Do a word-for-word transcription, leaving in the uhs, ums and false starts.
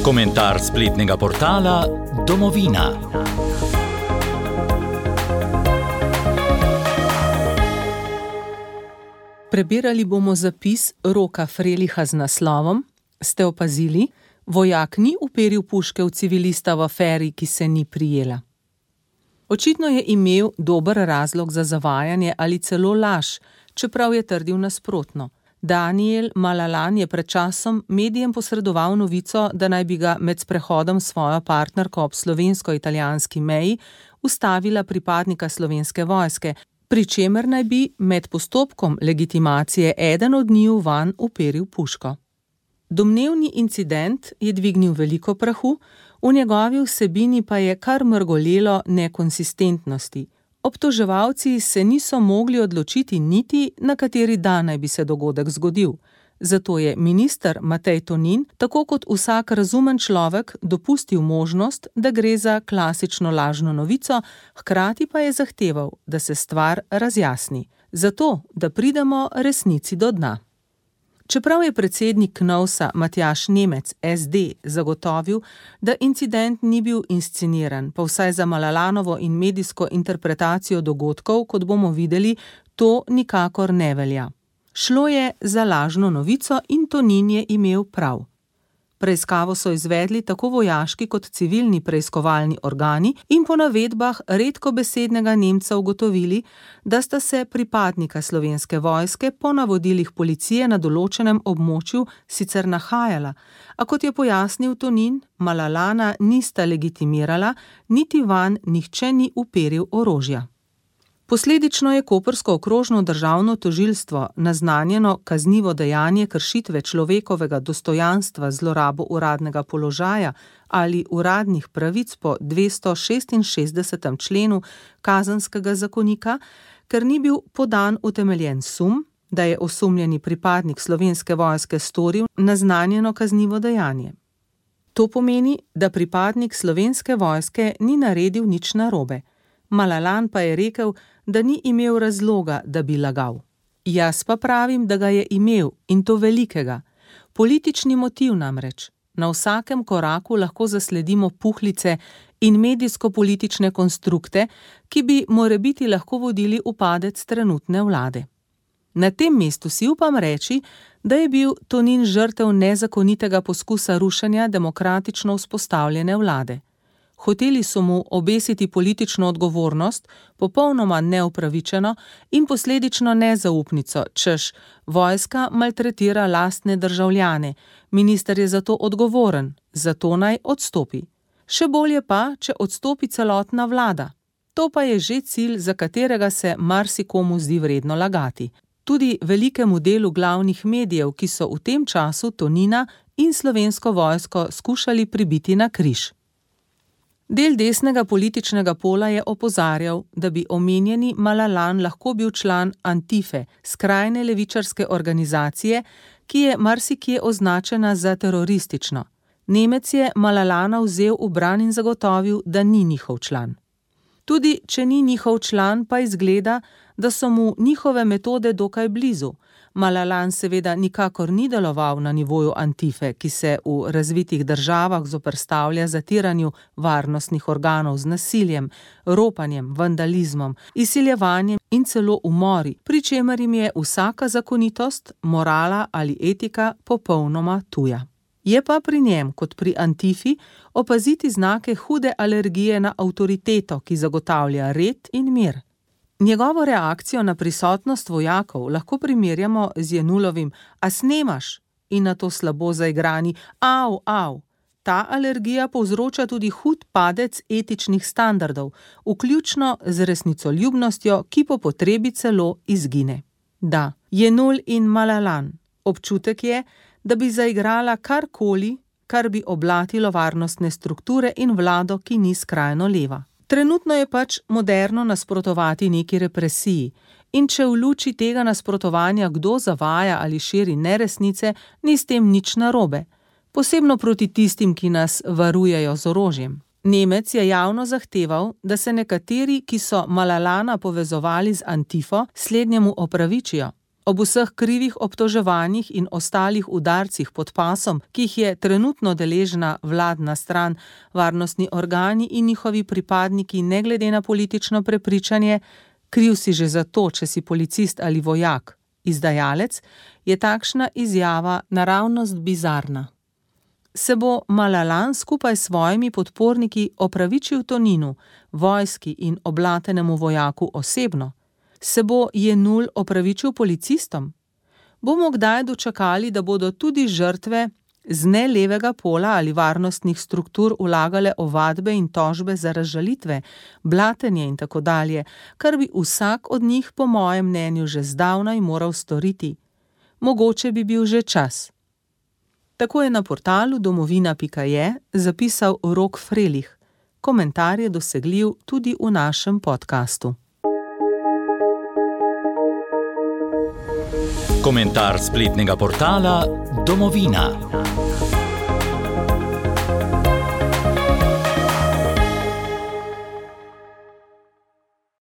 Komentar spletnega portala Domovina. Prebirali bomo zapis Roka Freliha z naslovom Ste opazili? Vojak ni uperil puške v civilista v aferi, ki se ni prijela. Očitno je imel dober razlog za zavajanje ali celo laž, čeprav je trdil nasprotno. Daniel Malalan je pred časom medijem posredoval novico, da naj bi ga med sprehodom s svojo partnerko ob slovensko-italijanski meji ustavila pripadnika Slovenske vojske, pri čemer naj bi med postopkom legitimacije eden od njiju vanj uperil puško. Domnevni incident je dvignil veliko prahu, v njegovi vsebini pa je kar mrgolelo nekonsistentnosti. Obtoževalci se niso mogli odločiti niti, na kateri dan naj bi se dogodek zgodil. Zato je minister Matej Tonin, tako kot vsak razumen človek, dopustil možnost, da gre za klasično lažno novico, hkrati pa je zahteval, da se stvar razjasni. Zato, da pridemo resnici do dna. Čeprav je predsednik KNOVS-a Matjaž Nemec S D zagotovil, da incident ni bil insceniran, pa vsaj za Malalanovo in medijsko interpretacijo dogodkov, kot bomo videli, to nikakor ne velja. Šlo je za lažno novico in Tonin je imel prav. Preiskavo so izvedli tako vojaški kot civilni preiskovalni organi in po navedbah redkobesednega Nemca ugotovili, da sta se pripadnika Slovenske vojske po navodilih policije na določenem območju sicer nahajala, a kot je pojasnil Tonin, Malalana nista legitimirala, niti vanj nihče ni uperil orožja. Posledično je koprsko okrožno državno tožilstvo naznanjeno kaznivo dejanje kršitve človekovega dostojanstva z zlorabo uradnega položaja ali uradnih pravic po dvestošestinšestdesetem členu Kazenskega zakonika, ker ni bil podan utemeljen sum, da je osumljeni pripadnik Slovenske vojske storil naznanjeno kaznivo dejanje. To pomeni, da pripadnik Slovenske vojske ni naredil nič narobe. Malalan pa je rekel, da ni imel razloga, da bi lagal. Jaz pa pravim, da ga je imel, in to velikega. Politični motiv namreč. Na vsakem koraku lahko zasledimo puhlice in medijsko-politične konstrukte, ki bi morebiti lahko vodili v padec trenutne vlade. Na tem mestu si upam reči, da je bil Tonin žrtev nezakonitega poskusa rušenja demokratično vzpostavljene vlade. Hoteli so mu obesiti politično odgovornost, popolnoma neupravičeno in posledično nezaupnico, češ, vojska maltretira lastne državljane, minister je zato odgovoren, zato naj odstopi. Še bolje pa, če odstopi celotna vlada. To pa je že cilj, za katerega se marsikomu zdi vredno lagati. Tudi velikemu delu glavnih medijev, ki so v tem času Tonina in Slovensko vojsko skušali pribiti na križ. Del desnega političnega pola je opozarjal, da bi omenjeni Malalan lahko bil član Antife, skrajne levičarske organizacije, ki je marsikje označena za teroristično. Nemec je Malalana vzel v bran in zagotovil, da ni njihov član. Tudi če ni njihov član, pa izgleda, da so mu njihove metode dokaj blizu. Malalan seveda nikakor ni deloval na nivoju Antife, ki se v razvitih državah zoperstavlja zatiranju varnostnih organov z nasiljem, ropanjem, vandalizmom, izsiljevanjem in celo umori, pri čemer jim je vsaka zakonitost, morala ali etika popolnoma tuja. Je pa pri njem, kot pri Antifi, opaziti znake hude alergije na avtoriteto, ki zagotavlja red in mir. Njegovo reakcijo na prisotnost vojakov lahko primerjamo z Jenulovim "a snemaš" in na to slabo zaigrani "au, au". Ta alergija povzroča tudi hud padec etičnih standardov, vključno z resnicoljubnostjo, ki po potrebi celo izgine. Da, Jenul in Malalan. Občutek je, da bi zaigrala karkoli, kar bi oblatilo varnostne strukture in vlado, ki ni skrajno leva. Trenutno je pač moderno nasprotovati neki represiji in če v luči tega nasprotovanja kdo zavaja ali širi neresnice, ni s tem nič narobe, posebno proti tistim, ki nas varujejo z orožjem. Nemec je javno zahteval, da se nekateri, ki so Malalana povezovali z Antifo, slednjemu opravičijo. Ob vseh krivih obtoževanjih in ostalih udarcih pod pasom, ki jih je trenutno deležna vladna stran, varnostni organi in njihovi pripadniki ne glede na politično prepričanje, kriv si že zato, če si policist ali vojak, izdajalec, je takšna izjava naravnost bizarna. Se bo Malalan skupaj s svojimi podporniki opravičil Toninu, vojski in oblatenemu vojaku osebno? Se bo Jenull opravičil policistom? Bomo kdaj dočakali, da bodo tudi žrtve z ne levega pola ali varnostnih struktur vlagale ovadbe in tožbe za razžalitve, blatenje in tako dalje, kar bi vsak od njih po mojem mnenju že zdavnaj moral storiti? Mogoče bi bil že čas. Tako je na portalu domovina pika je zapisal Rok Frelih. Komentar je dosegljiv tudi v našem podkastu. Komentar spletnega portala Domovina.